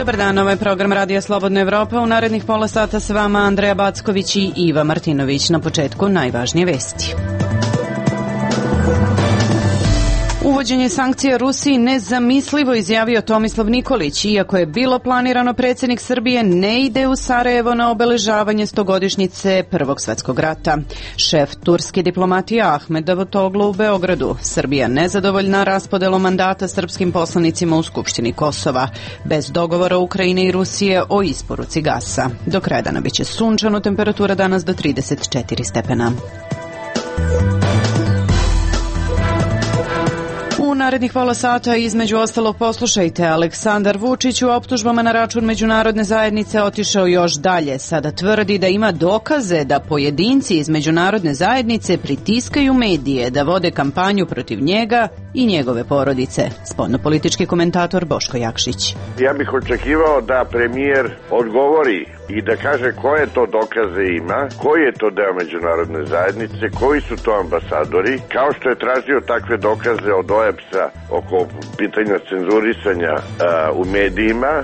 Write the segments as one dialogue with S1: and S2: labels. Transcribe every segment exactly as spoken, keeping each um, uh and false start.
S1: Dobar dan, ovo je program Radija Slobodna Evropa. U narednih pola sata s vama Andreja Backović i Iva Martinović. Na početku najvažnije vesti. Uvođenje sankcija Rusiji nezamislivo, izjavio Tomislav Nikolić. Iako je bilo planirano, predsjednik Srbije ne ide u Sarajevo na obeležavanje stogodišnjice Prvog svjetskog rata. Šef turske diplomatije Ahmed Davutoglu u Beogradu. Srbija nezadovoljna raspodelom mandata srpskim poslanicima u Skupštini Kosova. Bez dogovora Ukrajine i Rusije o isporuci gasa. Do kraja dana biće sunčano, temperatura danas do trideset četiri stepena. U narednih pola sata između ostalog poslušajte, Aleksandar Vučić u optužbama na račun međunarodne zajednice otišao još dalje. Sada tvrdi da ima dokaze da pojedinci iz međunarodne zajednice pritiskaju medije da vode kampanju protiv njega i njegove porodice. Spoljnopolitički komentator Boško Jakšić.
S2: Ja bih očekivao da premijer odgovori i da kaže koje to dokaze ima, koji je to deo međunarodne zajednice, koji su to ambasadori, kao što je tražio takve dokaze od O E B S-a oko pitanja cenzurisanja uh, u medijima.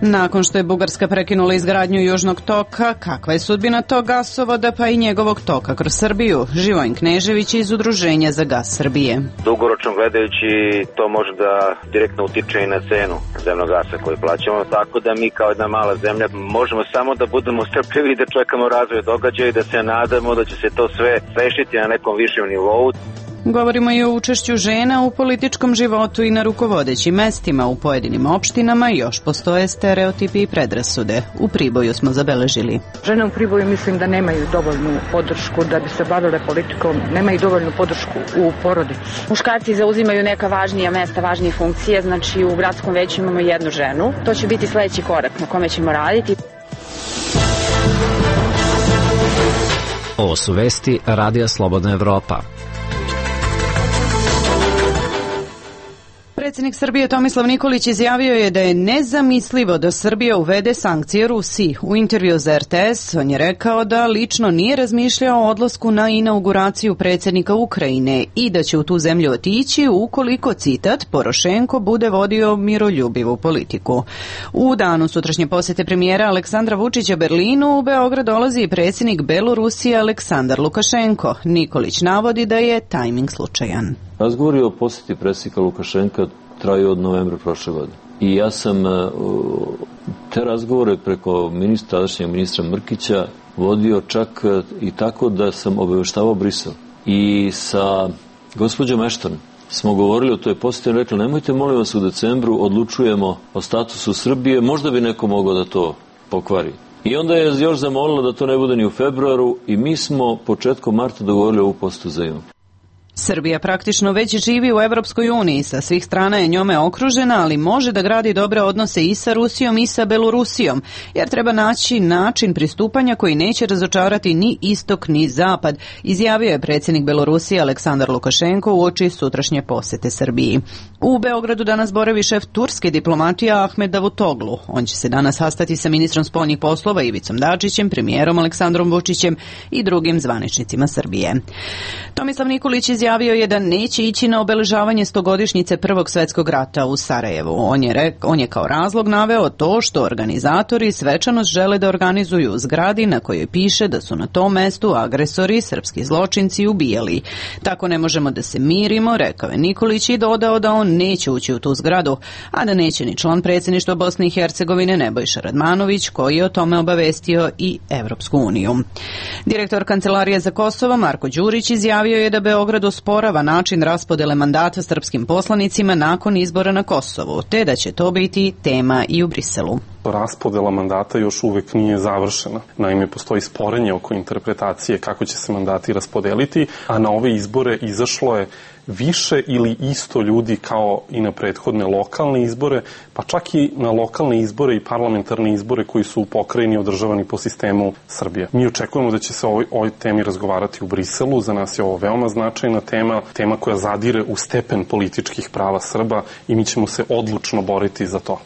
S1: Nakon što je Bugarska prekinula izgradnju Južnog toka, kakva je sudbina tog gasovoda pa i njegovog toka kroz Srbiju? Živojin Knežević iz Udruženja za gas Srbije.
S3: Dugoročno gledajući to može da direktno utiče i na cenu zemnog gasa koju plaćamo, tako da mi kao jedna mala zemlja možemo samo da budemo strpljivi i da čekamo razvoj događaja i da se nadamo da će se to sve rešiti na nekom višem nivou.
S1: Govorimo i o učešću žena u političkom životu i na rukovodećim mestima. U pojedinim opštinama još postoje stereotipi i predrasude. U Priboju smo zabeležili.
S4: Žene u Priboju mislim da nemaju dovoljnu podršku da bi se bavile politikom, nemaju dovoljnu podršku u porodici.
S5: Muškarci zauzimaju neka važnija mesta, važnije funkcije, znači u gradskom veću imamo jednu ženu. To će biti sledeći korak na kome ćemo raditi.
S6: Ovo su vesti Radija Slobodna Evropa.
S1: Predsjednik Srbije Tomislav Nikolić izjavio je da je nezamislivo da Srbija uvede sankcije Rusiji. U intervju za R T S on je rekao da lično nije razmišljao o odlasku na inauguraciju predsjednika Ukrajine i da će u tu zemlju otići ukoliko, citat, Porošenko bude vodio miroljubivu politiku. U danu sutrašnje posjete premijera Aleksandra Vučića Berlinu u Beograd dolazi i predsjednik Belorusije Aleksandar Lukašenko. Nikolić navodi da je tajming slučajan.
S7: Razgovori o posjeti predsjednika Lukašenka traju od novembra prošle godine. I ja sam te razgovore preko ministra, tadašnjeg ministra Mrkića vodio čak i tako da sam obaveštavao Brisel. I sa gospođom Ashton smo govorili o toj posjeti i rekli nemojte molim vas u decembru odlučujemo o statusu Srbije, možda bi neko mogao da to pokvari. I onda je još zamolila da to ne bude ni u februaru i mi smo početkom marta dogovorili ovu posetu za jun.
S1: Srbija praktično već živi u Evropskoj uniji, sa svih strana je njome okružena, ali može da gradi dobre odnose i sa Rusijom i sa Belorusijom, jer treba naći način pristupanja koji neće razočarati ni istok ni zapad, izjavio je predsjednik Belorusije Aleksandar Lukašenko uoči sutrašnje posete Srbiji. U Beogradu danas boravi šef turske diplomatije Ahmed Davutoglu. On će se danas sastati sa ministrom spoljnih poslova Ivicom Dačićem, premijerom Aleksandrom Vučićem i drugim zvaničnicima Srbije. Tomislav Nikolić izjavio je da neće ići na obeležavanje stogodišnjice Prvog svjetskog rata u Sarajevu. On je, rek, on je kao razlog naveo to što organizatori svečanost žele da organizuju u zgradi na kojoj piše da su na tom mestu agresori, srpski zločinci ubijali. Tako ne možemo da se mirimo, rekao je Nikolić i dodao da on neće ući u tu zgradu, a da neće ni član predsjedništva Bosne i Hercegovine Nebojša Radmanović, koji je o tome obavestio i Evropsku uniju. Direktor Kancelarije za Kosovo Marko Đurić izjavio je da Beograd osporava način raspodele mandata srpskim poslanicima nakon izbora na Kosovu, te da će to biti tema i u Briselu.
S8: Raspodela mandata još uvek nije završena. Naime, postoji sporenje oko interpretacije kako će se mandati raspodeliti, a na ove izbore izašlo je više ili isto ljudi kao i na prethodne lokalne izbore, pa čak i na lokalne izbore i parlamentarne izbore koji su u pokrajini održavani po sistemu Srbije. Mi očekujemo da će se o ovoj, ovoj temi razgovarati u Briselu. Za nas je ovo veoma značajna tema, tema koja zadire u stepen političkih prava Srba i mi ćemo se odlučno boriti za to.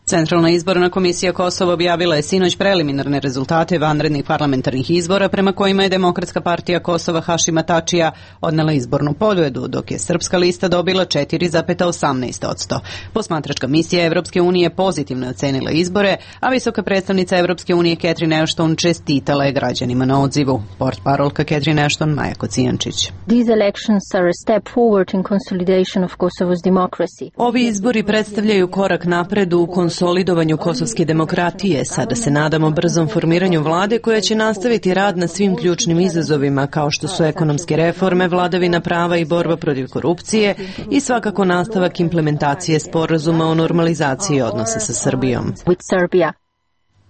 S1: Centralna izborna komisija Kosova objavila je sinoć preliminarne rezultate vanrednih parlamentarnih izbora prema kojima je Demokratska partija Kosova Hašima Tačija odnela izbornu pobjedu, dok je Srpska lista dobila četiri zarez osamnaest posto. Posmatračka misija Evropske unije pozitivno ocenila izbore, a visoka predstavnica Evropske unije Catherine Ashton čestitala je građanima na odzivu. Portparolka Catherine Ashton, Maja Kocijančić.
S9: These elections are a step forward in consolidation of Kosovo's democracy.
S10: Ovi izbori predstavljaju korak napred u konsolidovanju kosovske demokratije. Sada se nadamo brzom formiranju vlade koja će nastaviti rad na svim ključnim izazovima kao što su ekonomske reforme, vladavina prava i borba protiv korupcije i svakako nastavak implementacije sporazuma o normalizaciji odnosa sa Srbijom.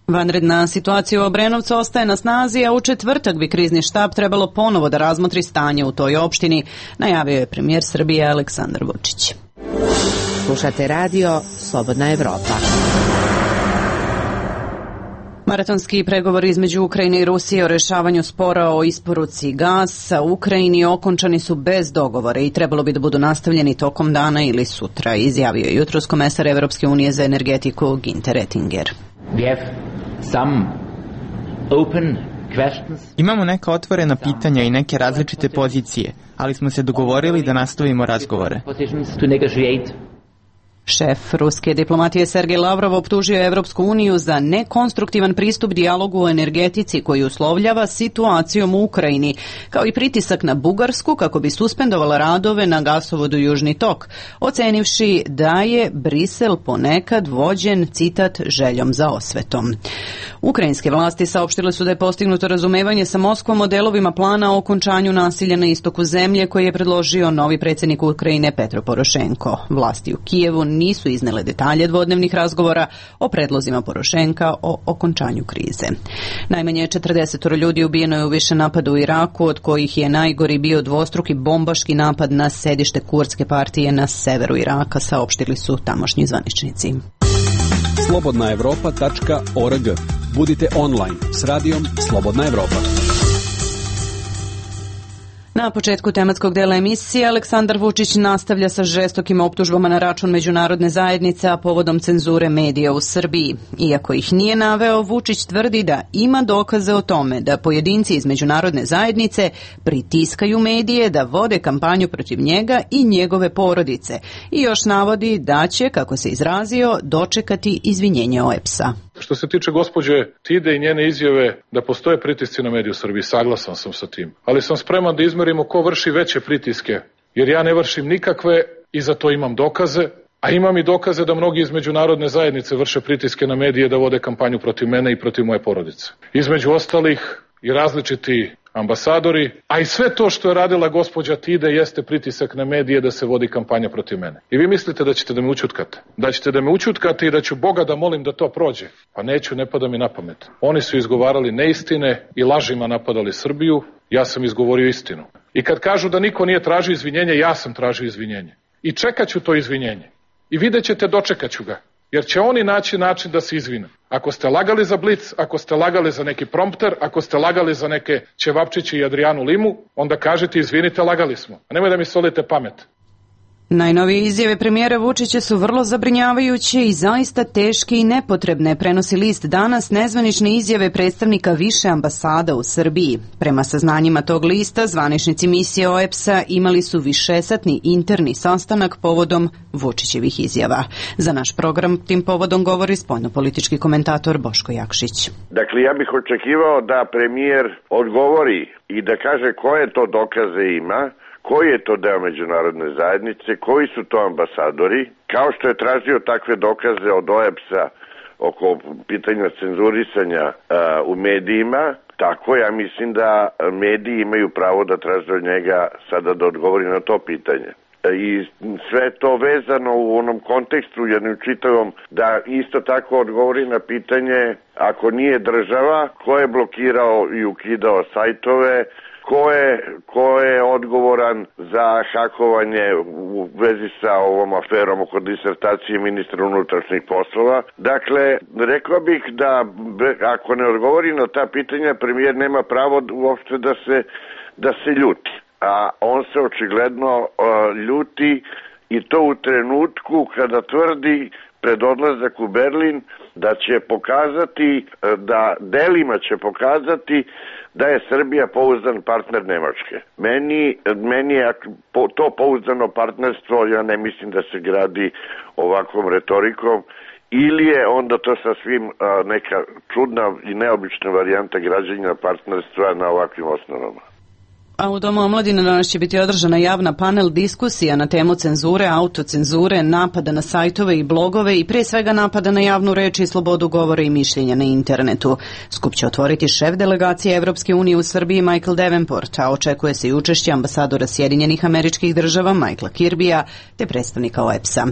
S1: Vanredna situacija u Obrenovcu ostaje na snazi, a u četvrtak bi krizni štab trebalo ponovo da razmotri stanje u toj opštini, najavio je premijer Srbije Aleksandar Vučić.
S11: Slušate radio Slobodna Evropa.
S1: Maratonski pregovori između Ukrajine i Rusije o rešavanju spora o isporuci gasa u Ukrajini okončani su bez dogovora i trebalo bi da budu nastavljeni tokom dana ili sutra, izjavio je jutros komesar Evropske unije za energetiku Ginter Oettinger.
S12: Imamo neka otvorena pitanja i neke različite pozicije, ali smo se dogovorili da nastavimo razgovore.
S1: Šef ruske diplomatije Sergej Lavrov optužio je Evropsku uniju za nekonstruktivan pristup dijalogu o energetici koji uslovljava situacijom u Ukrajini, kao i pritisak na Bugarsku kako bi suspendovala radove na gasovodu Južni tok, ocenivši da je Brisel ponekad vođen, citat, željom za osvetom. Ukrajinske vlasti saopštile su da je postignuto razumevanje sa Moskvom o delovima plana o okončanju nasilja na istoku zemlje koji je predložio novi predsjednik Ukrajine Petro Porošenko. Vlasti u Kijevu nisu iznele detalje dvodnevnih razgovora o predlozima Porošenka o okončanju krize. Najmanje četrdeset ljudi ubijeno je u više napada u Iraku, od kojih je najgori bio dvostruki bombaški napad na sedište kurdske partije na severu Iraka, saopštili su tamošnji zvaničnici.
S13: slobodna evropa tačka org. Budite online s radijom Slobodna Evropa.
S1: Na početku tematskog dela emisije Aleksandar Vučić nastavlja sa žestokim optužbama na račun međunarodne zajednice, a povodom cenzure medija u Srbiji. Iako ih nije naveo, Vučić tvrdi da ima dokaze o tome da pojedinci iz međunarodne zajednice pritiskaju medije da vode kampanju protiv njega i njegove porodice. I još navodi da će, kako se izrazio, dočekati izvinjenje O E P S-a.
S14: Što se tiče gospođe Tide i njene izjave da postoje pritisci na medije u Srbiji, saglasan sam sa tim. Ali sam spreman da izmerimo ko vrši veće pritiske, jer ja ne vršim nikakve i za to imam dokaze, a imam i dokaze da mnogi iz međunarodne zajednice vrše pritiske na medije da vode kampanju protiv mene i protiv moje porodice. Između ostalih i različiti ambasadori, a i sve to što je radila gospođa Tide jeste pritisak na medije da se vodi kampanja protiv mene. I vi mislite da ćete da me ućutkate? Da ćete da me ućutkate i da ću Boga da molim da to prođe? Pa neću, ne pada mi na pamet. Oni su izgovarali neistine i lažima napadali Srbiju, ja sam izgovorio istinu. I kad kažu da niko nije tražio izvinjenje, ja sam tražio izvinjenje. I čekat ću to izvinjenje. I vidjet ćete, dočekat ću ga. Jer će oni naći način da se izvine. Ako ste lagali za Blic, ako ste lagali za neki prompter, ako ste lagali za neke Ćevapčiće i Adrijanu Limu, onda kažete izvinite, lagali smo. A nemoj da mi solite pamet.
S1: Najnovije izjave premijera Vučića su vrlo zabrinjavajuće i zaista teške i nepotrebne, prenosi list Danas nezvanične izjave predstavnika više ambasada u Srbiji. Prema saznanjima tog lista, zvaničnici misije O E P S-a imali su višesatni interni sastanak povodom Vučićevih izjava. Za naš program tim povodom govori spoljnopolitički komentator Boško Jakšić.
S2: Dakle, ja bih očekivao da premijer odgovori i da kaže koje to dokaze ima, koji je to deo međunarodne zajednice, koji su to ambasadori, kao što je tražio takve dokaze od O E P S-a oko pitanja cenzurisanja a, u medijima, tako ja mislim da mediji imaju pravo da traže od njega sada da odgovori na to pitanje. I sve to vezano u onom kontekstu jednom čitavom da isto tako odgovori na pitanje ako nije država, ko je blokirao i ukidao sajtove, Ko je, ko je odgovoran za hakovanje u vezi sa ovom aferom oko disertacije ministra unutrašnjih poslova. Dakle, rekao bih da ako ne odgovori na ta pitanja, premijer nema pravo uopšte da se, da se ljuti. A on se očigledno uh, ljuti i to u trenutku kada tvrdi pred odlazak u Berlin, da će pokazati, da delima će pokazati da je Srbija pouzdan partner Nemačke. Meni, meni je to pouzdano partnerstvo, ja ne mislim da se gradi ovakvom retorikom, ili je onda to sasvim neka čudna i neobična varijanta građenja partnerstva na ovakvim osnovama.
S1: A u Domu omladine danas će biti održana javna panel diskusija na temu cenzure, autocenzure, napada na sajtove i blogove i prije svega napada na javnu reč i slobodu govora i mišljenja na internetu. Skup će otvoriti šef delegacije Evropske unije u Srbiji Michael Davenport, a očekuje se i učešće ambasadora Sjedinjenih Američkih Država Michaela Kirbija te predstavnika O E P S-a.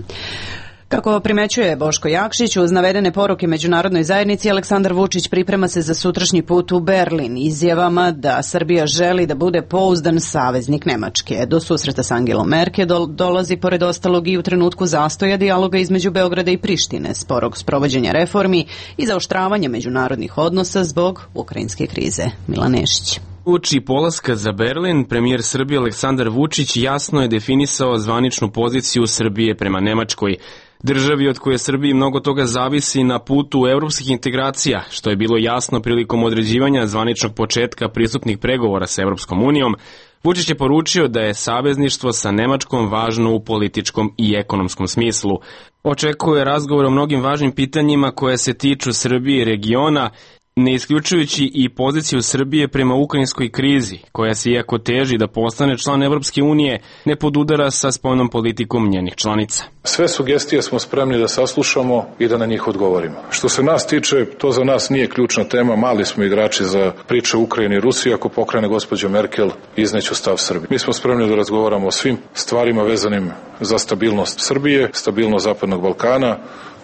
S1: Kako primećuje Boško Jakšić, uz navedene poruke međunarodnoj zajednici, Aleksandar Vučić priprema se za sutrašnji put u Berlin izjavama da Srbija želi da bude pouzdan saveznik Nemačke. Do susreta s Angelom Merkel dolazi pored ostalog i u trenutku zastoja dijaloga između Beograda i Prištine, sporog sprovođenja reformi i zaoštravanja međunarodnih odnosa zbog ukrajinske krize. Milan Nešić.
S15: Uoči polaska za Berlin, premijer Srbije Aleksandar Vučić jasno je definisao zvaničnu poziciju Srbije prema Nemačkoj, državi od koje Srbiji mnogo toga zavisi na putu evropskih integracija, što je bilo jasno prilikom određivanja zvaničnog početka pristupnih pregovora sa Evropskom unijom. Vučić je poručio da je savezništvo sa Nemačkom važno u političkom i ekonomskom smislu. Očekuje razgovor o mnogim važnim pitanjima koje se tiču Srbije i regiona, ne isključujući i poziciju Srbije prema ukrajinskoj krizi, koja se iako teži da postane član Evropske unije, ne podudara sa spoljnom politikom njenih članica.
S14: Sve sugestije smo spremni da saslušamo i da na njih odgovorimo. Što se nas tiče, to za nas nije ključna tema, mali smo igrači za priče Ukrajine i Rusije, ako pokrene gospođa Merkel, izneću stav Srbije. Mi smo spremni da razgovaramo o svim stvarima vezanim za stabilnost Srbije, stabilnost Zapadnog Balkana,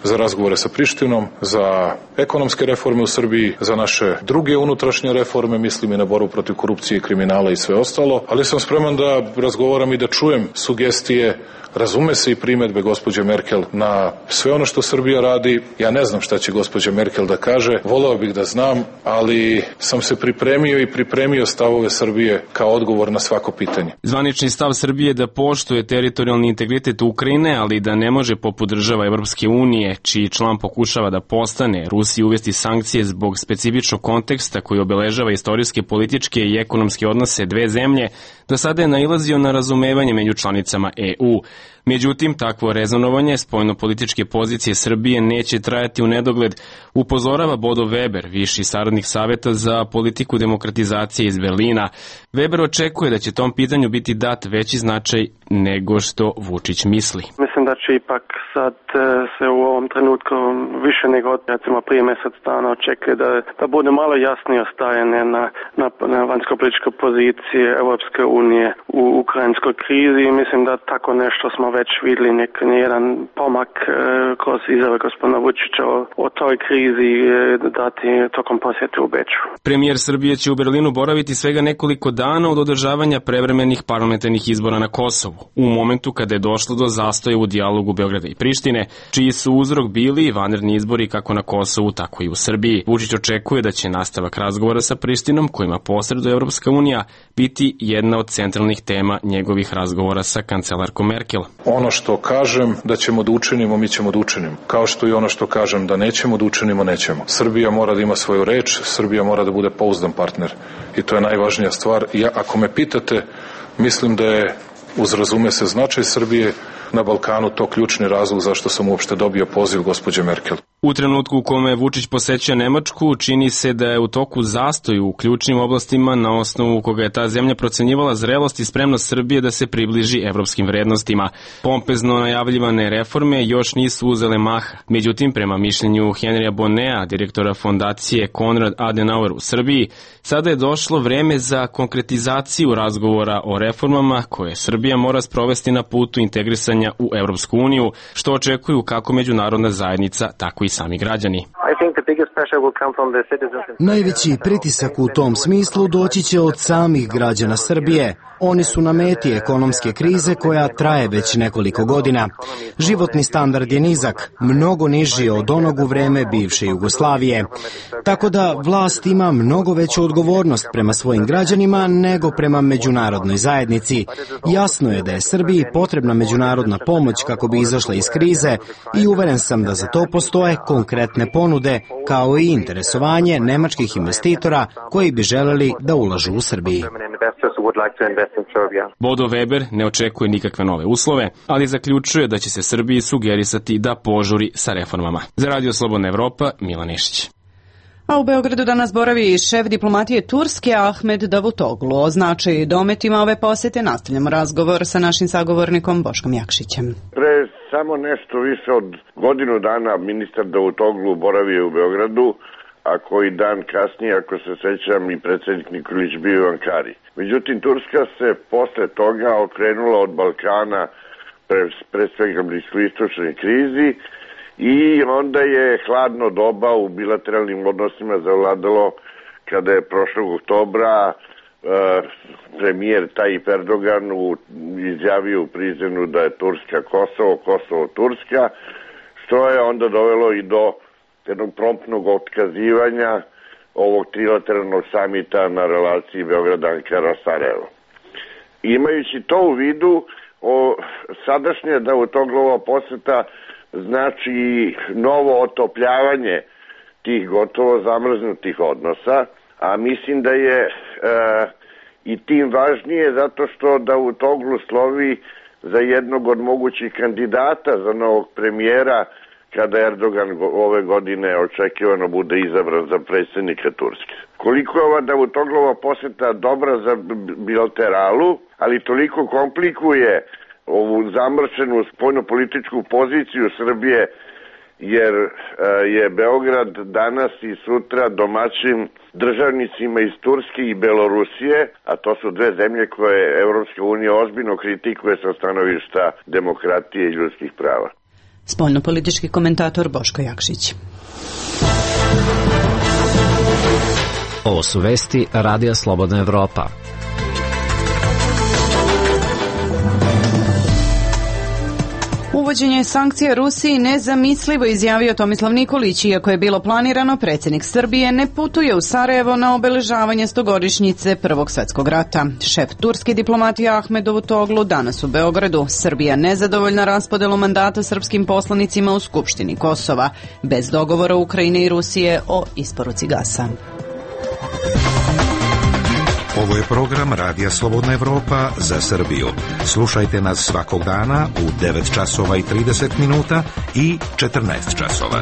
S14: za razgovore sa Prištinom, za ekonomske reforme u Srbiji, za naše druge unutrašnje reforme, mislim i na borbu protiv korupcije i kriminala i sve ostalo, ali sam spreman da razgovaram i da čujem sugestije, razume se i primedbe gospođe Merkel na sve ono što Srbija radi. Ja ne znam šta će gospođa Merkel da kaže, voleo bih da znam, ali sam se pripremio i pripremio stavove Srbije kao odgovor na svako pitanje.
S15: Zvanični stav Srbije je da poštuje teritorijalni integritet Ukrajine, ali da ne može poput država Evropske unije, čiji član pokušava da postane, Rusiji uvesti sankcije zbog specifičnog konteksta koji obeležava istorijske, političke i ekonomske odnose dve zemlje, do sada je nailazio na razumevanje među članicama E U. Međutim, takvo rezonovanje spoljno-političke pozicije Srbije neće trajati u nedogled, upozorava Bodo Weber, viši saradnik Saveta za politiku demokratizacije iz Berlina. Weber očekuje da će tom pitanju biti dat veći značaj nego što Vučić misli.
S16: Mislim da će ipak sad se u ovom trenutku više nego recimo prije mjesec dana očekuje da, da bude malo jasnije ostajanje na, na, na vanjsko-političkoj poziciji Europske unije u ukrajinskoj krizi. Mislim da tako nešto smo već vidjeli nek, jedan pomak e, kroz izjave gospodina Vučića o, o toj krizi e, dati tokom posjete u Beču.
S15: Premijer Srbije će u Berlinu boraviti svega nekoliko dana od održavanja prevremenih parlamentarnih izbora na Kosovu, u momentu kada je došlo do zastoja u dijalogu Beograda i Prištine, čiji su uzrok bili vanredni izbori kako na Kosovu, tako i u Srbiji. Vučić očekuje da će nastavak razgovora sa Prištinom, kojima posreduje Evropska unija, biti jedna od centralnih tema njegovih razgovora sa kancelarkom Merkel.
S14: Ono što kažem da ćemo da učinimo, mi ćemo da učinimo. Kao što i ono što kažem da nećemo da učinimo, nećemo. Srbija mora da ima svoju reč, Srbija mora da bude pouzdan partner. I to je najvažnija stvar. Ja, ako me pitate, mislim da je, uz razume se značaj Srbije na Balkanu, to ključni razlog zašto sam uopšte dobio poziv gospođe Merkel.
S15: U trenutku u kome Vučić poseća Nemačku, čini se da je u toku zastoj u ključnim oblastima na osnovu koga je ta zemlja procenjivala zrelost i spremnost Srbije da se približi evropskim vrednostima. Pompezno najavljivane reforme još nisu uzele maha. Međutim, prema mišljenju Henrya Bonnea, direktora fondacije Konrad Adenauer u Srbiji, sada je došlo vreme za konkretizaciju razgovora o reformama koje Srbija mora sprovesti na putu integrisanja u Evropsku uniju, što očekuju kako međunarodna zajednica, tako i sami građani.
S17: Najveći pritisak u tom smislu doći će od samih građana Srbije. Oni su na meti ekonomske krize koja traje već nekoliko godina. Životni standard je nizak, mnogo niži od onog u vreme bivše Jugoslavije. Tako da vlast ima mnogo veću odgovornost prema svojim građanima nego prema međunarodnoj zajednici. Jasno je da je Srbiji potrebna međunarodna pomoć kako bi izašla iz krize i uveren sam da za to postoje konkretne ponude, kao i interesovanje nemačkih investitora koji bi želeli da ulažu u Srbiji.
S15: Bodo Weber ne očekuje nikakve nove uslove, ali zaključuje da će se Srbiji sugerisati da požuri sa reformama. Za Radio Slobodna Evropa, Milan Nešić.
S1: A u Beogradu danas boravi šef diplomatije Turske Ahmed Davutoglu. O značaju i dometima ove posete nastavljamo razgovor sa našim sagovornikom Boškom Jakšićem.
S2: Pre samo nešto više od godinu dana ministar Davutoglu boravio u Beogradu, a koji dan kasnije, ako se sećam, i predsjednik Nikolić bio u Ankari. Međutim, Turska se posle toga okrenula od Balkana pre, pre svega bliskoistočnoj krizi i onda je hladno doba u bilateralnim odnosima zavladalo kada je prošlog oktobra e, premijer Tayyip Erdogan u, izjavio u Prizrenu da je Turska Kosovo, Kosovo Turska, što je onda dovelo i do jednog promptnog otkazivanja ovog trilateralnog samita na relaciji Beograd-Ankara-Sarajevo. Imajući to u vidu, o, sadašnje Davutoglova poseta znači novo otopljavanje tih gotovo zamrznutih odnosa, a mislim da je e, i tim važnije zato što Davutoglu slovi za jednog od mogućih kandidata za novog premijera kada Erdogan ove godine očekivano bude izabran za predsjednika Turske. Koliko je ova Davutoglova poseta dobra za bilateralu, ali toliko komplikuje ovu zamršenu spoljnopolitičku poziciju Srbije, jer je Beograd danas i sutra domaćin državnicima iz Turske i Belorusije, a to su dve zemlje koje Evropska unija ozbiljno kritikuje sa stanovišta demokratije i ljudskih prava.
S1: Spoljnopolitički komentator Boško Jakšić.
S6: Ovo su vesti Radija Slobodna Evropa.
S1: Uvođenje sankcija Rusiji nezamislivo, izjavio Tomislav Nikolić. Iako je bilo planirano, predsjednik Srbije ne putuje u Sarajevo na obeležavanje stogodišnjice Prvog svjetskog rata. Šef turske diplomatije Ahmed Davutoglu danas u Beogradu. Srbija nezadovoljna raspodelom mandata srpskim poslanicima u Skupštini Kosova, bez dogovora Ukrajine i Rusije o isporuci gasa.
S18: Ovo je program Radija Slobodna Evropa za Srbiju. Slušajte nas svakog dana u devet časova i trideset minuta i četrnaest časova.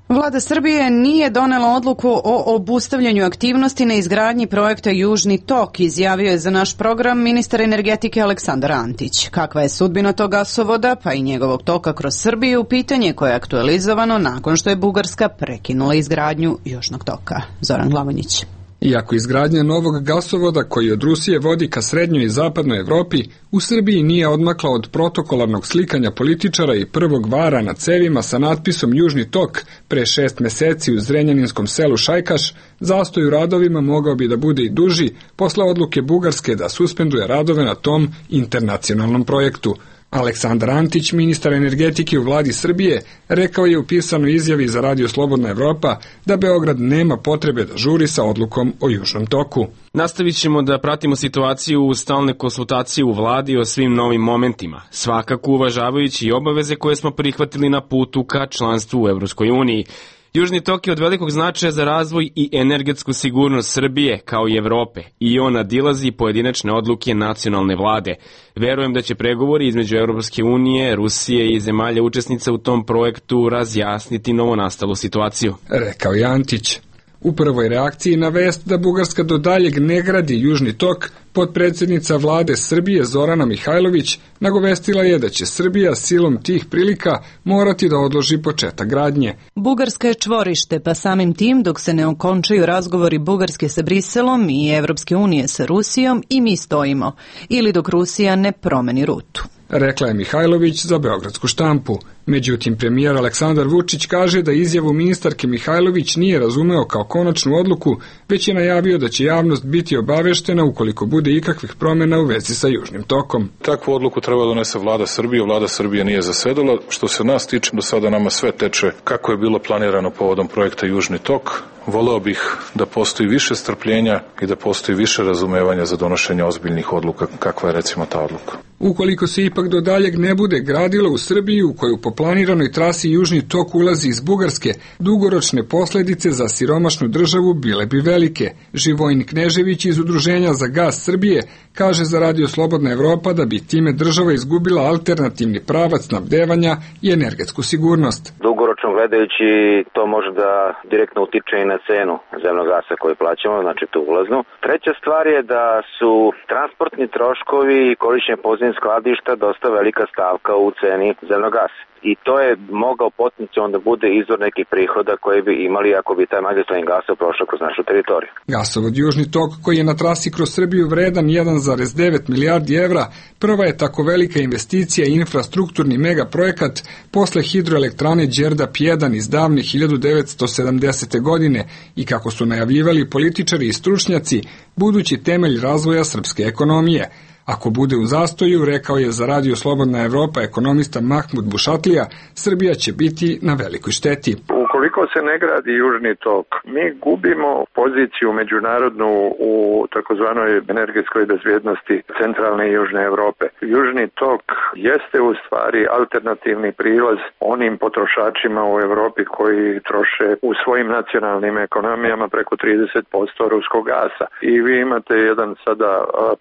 S1: Vlada Srbije nije donela odluku o obustavljanju aktivnosti na izgradnji projekta Južni tok, izjavio je za naš program ministar energetike Aleksandar Antić. Kakva je sudbina tog gasovoda, pa i njegovog toka kroz Srbiju, pitanje koje je aktualizovano nakon što je Bugarska prekinula izgradnju Južnog toka. Zoran Glavonjić.
S19: Iako izgradnja novog gasovoda koji od Rusije vodi ka srednjoj i zapadnoj Evropi, u Srbiji nije odmakla od protokolarnog slikanja političara i prvog vara na cevima sa natpisom Južni tok pre šest meseci u zrenjaninskom selu Šajkaš, zastoj u radovima mogao bi da bude i duži posle odluke Bugarske da suspenduje radove na tom internacionalnom projektu. Aleksandar Antić, ministar energetike u vladi Srbije, rekao je u pisanoj izjavi za Radio Slobodna Evropa da Beograd nema potrebe da žuri sa odlukom o Južnom toku.
S15: Nastavit ćemo da pratimo situaciju u stalne konsultacije u vladi o svim novim momentima, svakako uvažavajući i obaveze koje smo prihvatili na putu ka članstvu u Evropskoj uniji. Južni tok je od velikog značaja za razvoj i energetsku sigurnost Srbije, kao i Evrope, i on nadilazi pojedinačne odluke nacionalne vlade. Verujem da će pregovori između Evropske unije, Rusije i zemalja učesnica u tom projektu razjasniti novonastalu situaciju,
S19: rekao je Antić. U prvoj reakciji na vest da Bugarska do daljeg ne gradi Južni tok, potpredsjednica vlade Srbije Zorana Mihajlović nagovestila je da će Srbija silom tih prilika morati da odloži početak gradnje.
S10: Bugarska je čvorište, pa samim tim dok se ne okončaju razgovori Bugarske sa Briselom i Evropske unije sa Rusijom i mi stojimo, ili dok Rusija ne promeni rutu.
S19: rekla je Mihajlović za Beogradsku štampu. Međutim, premijer Aleksandar Vučić kaže da izjavu ministarke Mihajlović nije razumeo kao konačnu odluku, već je najavio da će javnost biti obaveštena ukoliko bude ikakvih promjena u vezi sa Južnim tokom.
S14: Takvu odluku treba donese vlada Srbije, vlada Srbije nije zasedala. Što se nas tiče, do sada nama sve teče kako je bilo planirano povodom projekta Južni tok. Voleo bih da postoji više strpljenja i da postoji više razumevanja za donošenje ozbiljnih odluka, kakva je recimo ta odluka.
S19: Ukoliko se ipak do daljeg ne bude gradilo u Srbiji, u koju po planiranoj trasi Južni tok ulazi iz Bugarske, dugoročne posljedice za siromašnu državu bile bi velike. Živojin Knežević iz Udruženja za gas Srbije kaže za Radio Slobodna Evropa da bi time država izgubila alternativni pravac snabdevanja i energetsku sigurnost.
S3: Dugoročno gledajući, to može da direktno utiče i na cenu zemnog gasa koji plaćamo, znači tu ulaznu. Treća stvar je da su transportni troškovi i korišćenje podzemnih skladišta dosta velika stavka u ceni zemnog gasa. I to je mogao potencijalno da bude izvor nekih prihoda koji bi imali ako bi taj magistralni gasov prošao kroz našu teritoriju.
S19: Gasovod Južni tok, koji je na trasi kroz Srbiju vredan jedan zarez devet milijardi evra, prva je tako velika investicija i infrastrukturni megaprojekat posle hidroelektrane Đerdap jedan iz davne hiljadu devetsto sedamdesete godine i, kako su najavljivali političari i stručnjaci, budući temelj razvoja srpske ekonomije. Ako bude u zastoju, rekao je za Radio Slobodna Evropa ekonomista Mahmud Bušatlija, Srbija će biti na velikoj šteti.
S20: Ukoliko se ne gradi Južni tok, mi gubimo poziciju međunarodnu u takozvanoj energetskoj bezbjednosti centralne i južne Evrope. Južni tok jeste u stvari alternativni prilaz onim potrošačima u Evropi koji troše u svojim nacionalnim ekonomijama preko trideset posto ruskog gasa. I vi imate jedan sada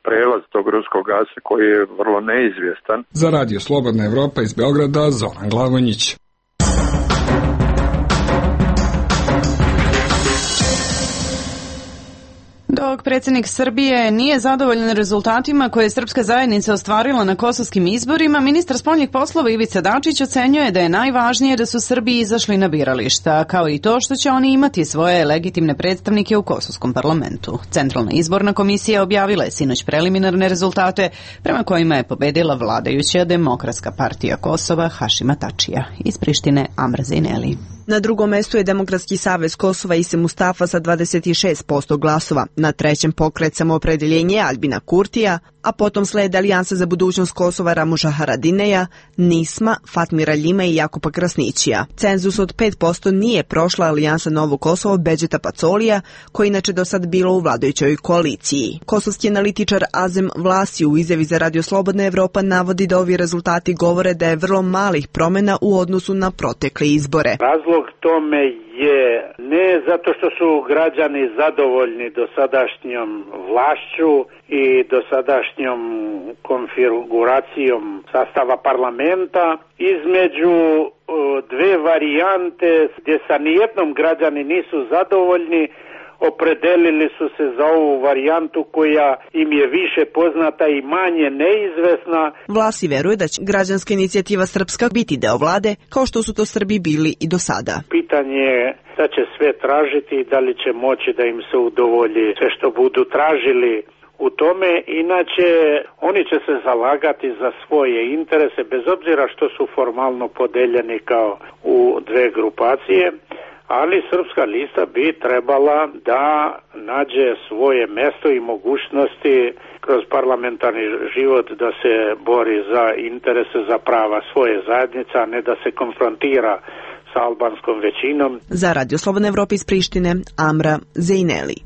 S20: prelaz tog ruskog gasa koji je vrlo neizvjestan.
S19: Za Radio Slobodna Evropa iz Beograda, Zoran Glavonjić.
S1: Dok predsjednik Srbije nije zadovoljan rezultatima koje je srpska zajednica ostvarila na kosovskim izborima, ministar spoljnih poslova Ivica Dačić ocenjuje da je najvažnije da su Srbi izašli na birališta, kao i to što će oni imati svoje legitimne predstavnike u kosovskom parlamentu. Centralna izborna komisija objavila je sinoć preliminarne rezultate prema kojima je pobedila vladajuća Demokratska partija Kosova Hašima Tačija. Iz Prištine Amra Zejneli.
S21: Na drugom mestu je Demokratski savez Kosova Ise Mustafa sa dvadeset šest posto glasova. Na trećem Pokret Samoopredeljenje Albina Kurtija, a potom slede Alijansa za budućnost Kosova Ramuša Haradineja, Nisma, Fatmira Ljima i Jakupa Krasnićija. Cenzus od pet posto nije prošla Alijansa Novo Kosovo Beđeta Pacolija, koji inače do sad bilo u vladajućoj koaliciji. Kosovski analitičar Azem Vlasi u izjavi za Radio Slobodna Evropa navodi da ovi rezultati govore da je vrlo malih promjena u odnosu na protekle izbore.
S22: Razlog tome je ne zato što su građani zadovoljni dosadašnjom vlašću i dosadašnjom konfiguracijom sastava parlamenta, između dve varijante gdje sa nijednom građani nisu zadovoljni, opredelili su se za ovu varijantu koja im je više poznata i manje neizvesna.
S21: Vlasi veruje da će građanska inicijativa Srpska biti deo vlade, kao što su to Srbi bili i do sada.
S22: Pitanje je da će sve tražiti i da li će moći da im se udovolji sve što budu tražili u tome. Inače, oni će se zalagati za svoje interese, bez obzira što su formalno podeljeni kao u dve grupacije. Ali Srpska lista bi trebala da nađe svoje mesto i mogućnosti kroz parlamentarni život da se bori za interese, za prava svoje zajednice, a ne da se konfrontira sa albanskom većinom.
S21: Za Radio Slobodna Evropa iz Prištine, Amra Zejneli.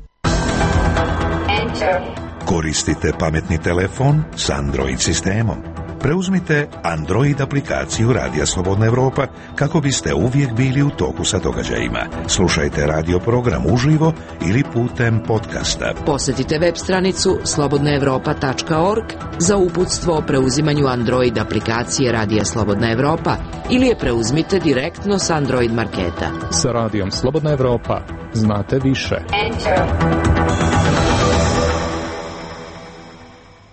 S18: Koristite pametni telefon s Android sistemom. Preuzmite Android aplikaciju Radija Slobodna Evropa kako biste uvijek bili u toku sa događajima. Slušajte radio program uživo ili putem podcasta.
S11: Posjetite web stranicu slobodna evropa tačka org za uputstvo o preuzimanju Android aplikacije Radija Slobodna Evropa ili je preuzmite direktno s Android marketa.
S23: Sa Radijom Slobodna Evropa znate više. Enter.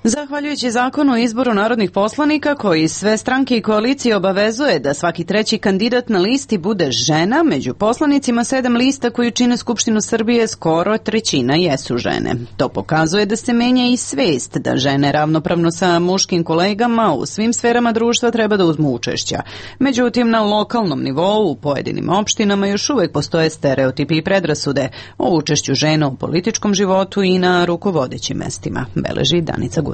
S1: Zahvaljujući zakonu o izboru narodnih poslanika koji sve stranke i koalicije obavezuje da svaki treći kandidat na listi bude žena, među poslanicima sedam lista koju čine Skupštinu Srbije skoro trećina jesu žene. To pokazuje da se menja i svest da žene ravnopravno sa muškim kolegama u svim sferama društva treba da uzmu učešća. Međutim, na lokalnom nivou u pojedinim opštinama još uvek postoje stereotipi i predrasude o učešću žena u političkom životu i na rukovodećim mestima, beleži Danica Gudurić.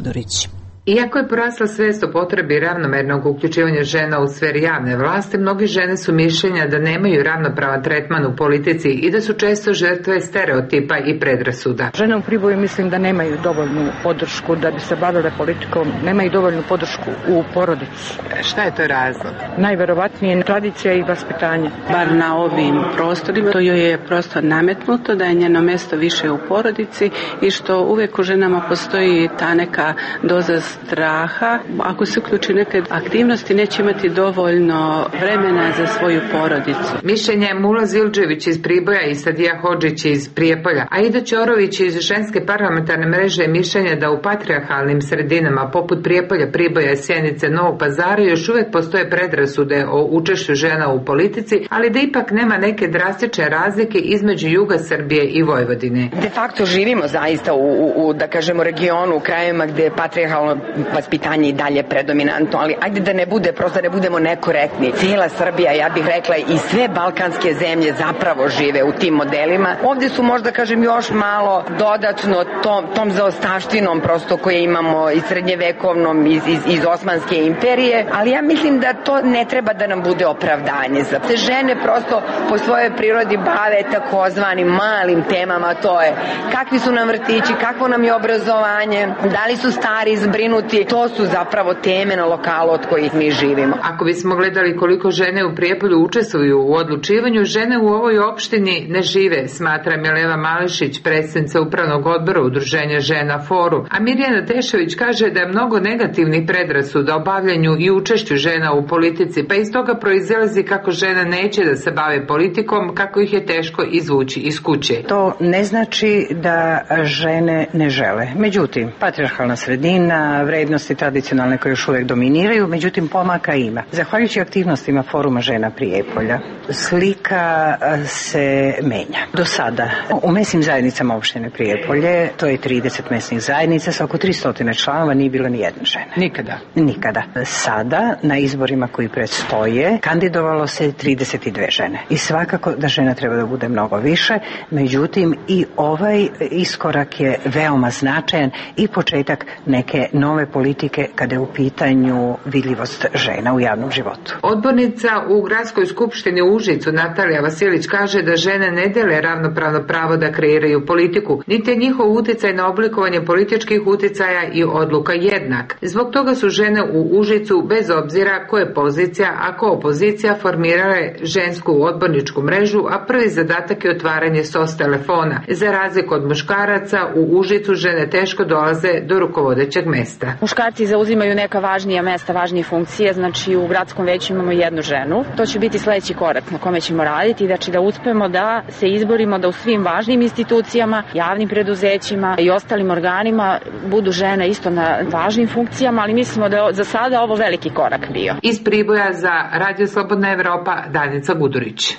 S4: Iako je porasla svest o potrebi ravnomernog uključivanja žena u sferi javne vlasti, mnogi žene su mišljenja da nemaju ravnopravan tretman u politici i da su često žrtve stereotipa i predrasuda.
S5: Žene u Priboju mislim da nemaju dovoljnu podršku da bi se bavile politikom, nemaju dovoljnu podršku u porodici.
S4: Šta je to razlog?
S5: Najverovatnije tradicija i vaspitanje.
S7: Bar na ovim prostorima to joj je prosto nametnuto da je njeno mesto više u porodici i što uvek u ženama postoji ta neka doza straha. Ako se uključi neke aktivnosti, neće imati dovoljno vremena za svoju porodicu.
S4: Mišljenje je Mula Zildžević iz Priboja i Sadija Hodžić iz Prijepolja. Aida Ćorović iz Ženske parlamentarne mreže je mišljenja da u patrijarhalnim sredinama poput Prijepolja, Priboja, Sjenice, Novog Pazara još uvek postoje predrasude o učešću žena u politici, ali da ipak nema neke drastične razlike između juga Srbije i Vojvodine.
S24: De facto živimo zaista u, u, u da kažemo regionu, u krajevima gde je patrijarhalno vaspitanje i dalje predominantno, ali ajde da ne bude, prosto ne budemo nekorektni. Cijela Srbija, ja bih rekla, i sve balkanske zemlje zapravo žive u tim modelima. Ovdje su možda, kažem, još malo dodatno tom, tom zaostavštinom prosto koje imamo iz srednjevekovnom, iz, iz, iz Osmanske imperije, ali ja mislim da to ne treba da nam bude opravdanje. Za te žene prosto po svojoj prirodi bave takozvanim malim temama, to je kakvi su nam vrtići, kakvo nam je obrazovanje, da li su stari zbrinuti, to su zapravo teme na lokalu od kojih mi živimo.
S4: Ako bismo gledali koliko žene u Prijepolju učestvuju u odlučivanju, žene u ovoj opštini ne žive, smatra Mileva Mališić, predsjednica upravnog odbora Udruženja žena Foru. A Mirjana Tešević kaže da je mnogo negativnih predrasuda o bavljanju i učešću žena u politici, pa iz toga proizilazi kako žena neće da se bave politikom, kako ih je teško izvući iz kuće.
S5: To ne znači da žene ne žele. Međutim, patrijarhalna sredina, vrednosti tradicionalne koje još uvijek dominiraju, međutim pomaka ima. Zahvaljujući aktivnostima Foruma žena Prijepolja, slika se menja. Do sada u mesnim zajednicama opštine Prijepolje, to je trideset mesnih zajednica sa oko tristo članova, nije bilo ni jedne žene.
S4: Nikada?
S5: Nikada. Sada na izborima koji predstoje kandidovalo se trideset dve žene. I svakako da žena treba da bude mnogo više, međutim i ovaj iskorak je veoma značajan i početak neke nove politike kada je u pitanju vidljivost žena u javnom životu.
S4: Odbornica u Gradskoj skupštini u Užicu Natalija Vasilić kaže da žene ne dele ravnopravno pravo da kreiraju politiku, niti je njihov uticaj na oblikovanje političkih uticaja i odluka jednak. Zbog toga su žene u Užicu, bez obzira ko je pozicija, a ko opozicija, formirale žensku odborničku mrežu, a prvi zadatak je otvaranje S O S telefona. Za razliku od muškaraca, u Užicu žene teško dolaze do rukovodećeg mesta.
S25: Muškarci zauzimaju neka važnija mesta, važnije funkcije, znači u gradskom veću imamo jednu ženu. To će biti sledeći korak na kome ćemo raditi, znači da uspemo da se izborimo da u svim važnim institucijama, javnim preduzećima i ostalim organima budu žene isto na važnim funkcijama, ali mislimo da je za sada ovo veliki korak bio.
S4: Iz Priboja za Radio Slobodna Evropa, Danica Gudurić.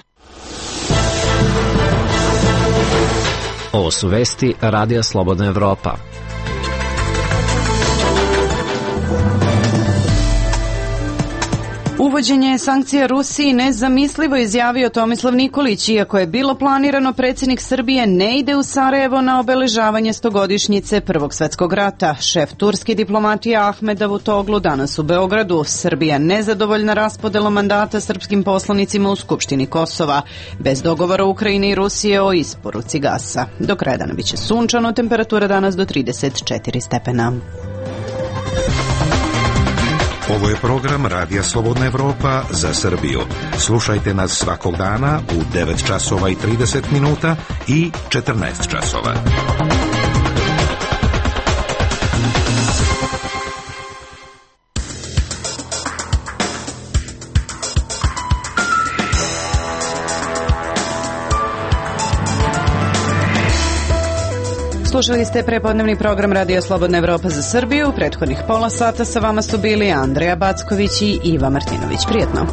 S6: Ovo su vesti Radija Slobodna Evropa.
S1: Uvođenje sankcija Rusiji nezamislivo, izjavio Tomislav Nikolić. Iako je bilo planirano, predsjednik Srbije ne ide u Sarajevo na obeležavanje stogodišnjice Prvog svetskog rata. Šef turske diplomatije Ahmed Davutoglu danas u Beogradu. Srbija nezadovoljna raspodelom mandata srpskim poslanicima u Skupštini Kosova. Bez dogovora Ukrajine i Rusije o isporuci gasa. Do kraja dana biće sunčano, temperatura danas do trideset četiri stepena.
S18: Ovo je program Radija Slobodna Evropa za Srbiju. Slušajte nas svakog dana u devet časova i trideset minuta i četrnaest časova.
S1: Slušali ste prepodnevni program Radio Slobodna Evropa za Srbiju. U prethodnih pola sata sa vama su bili Andreja Backović i Iva Martinović. Prijetno.